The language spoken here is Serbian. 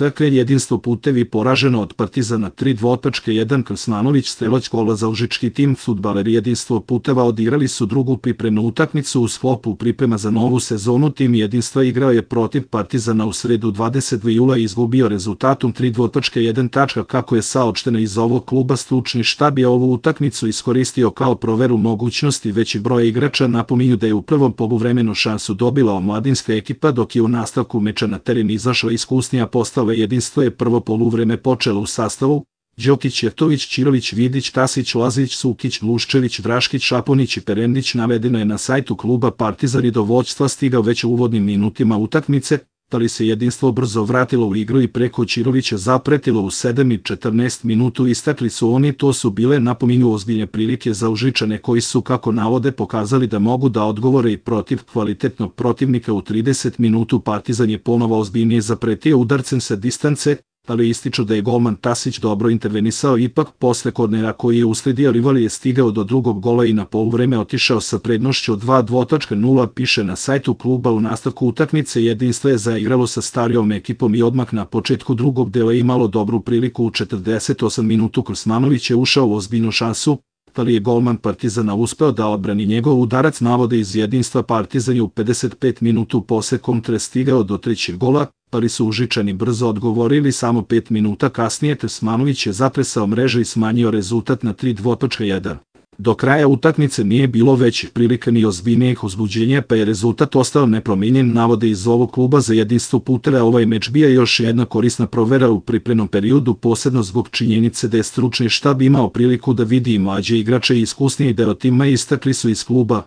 TK Jedinstvo Putevi poraženo od Partizana 3:1. Krsmanović strelac gola za užički tim. Fudbaleri Jedinstvo Puteva odigrali su drugu pripremnu utakmicu u sklopu priprema za novu sezonu. Tim Jedinstva igrao je protiv Partizana u sredu 22. jula i izgubio rezultatom 3:1. Kako je saopšteno iz ovog kluba, stručni štab je ovu utakmicu iskoristio kao proveru mogućnosti većeg broja igrača. Napominju da je u prvom poluvremenu šansu dobila omladinska ekipa, dok je u nastavku meča na teren izašla iskusnija postava. Jedinstvo je prvo poluvreme počelo u sastavu: Đokić, Jeftović, Ćirović, Vidić, Tasić, Lazić, Sukić, Luščević, Draškić, Šaponić i Perendić. Navedeno je na sajtu kluba. Partizan je do vođstva stigao već u uvodnim minutima utakmice, ali se Jedinstvo brzo vratilo u igru i preko Ćirovića zapretilo u 7:14 minutu. Istakli su oni, to su bile, napominju, ozbiljne prilike za Užičane koji su, kako navode, pokazali da mogu da odgovore i protiv kvalitetnog protivnika. U 30 minutu Partizan je ponovo ozbiljnije zapretio udarcem sa distance, ali ističu da je golman Tasić dobro intervenisao. Ipak, posle kornera koji je usledio, rival je stigao do drugog gola i na poluvreme otišao sa prednošću od 2:0, piše na sajtu kluba. U nastavku utakmice Jedinstvo je zaigralo sa starijom ekipom i odmah na početku drugog dela imalo dobru priliku. U 48 minutu Krsmanović je ušao u ozbiljnu šansu, ali je golman Partizana uspeo da odbrani njegov udarac. Navode iz Jedinstva. Partizan je u 55 minutu posle kontre stigao do trećeg gola, ali su Užičani brzo odgovorili. Samo 5 minuta kasnije Krsmanović je zatresao mreže i smanjio rezultat na 3:1. Do kraja utakmice nije bilo većih prilika ni ozbiljnijih uzbuđenja, pa je rezultat ostao nepromijenjen. Navode iz ovog kluba. Za Jedinstvo Puteva ovaj meč bio još jedna korisna provera u pripremnom periodu, posebno zbog činjenice da je stručni štab imao priliku da vidi i mlađe igrače i iskusniji deo tima. Istakli su iz kluba.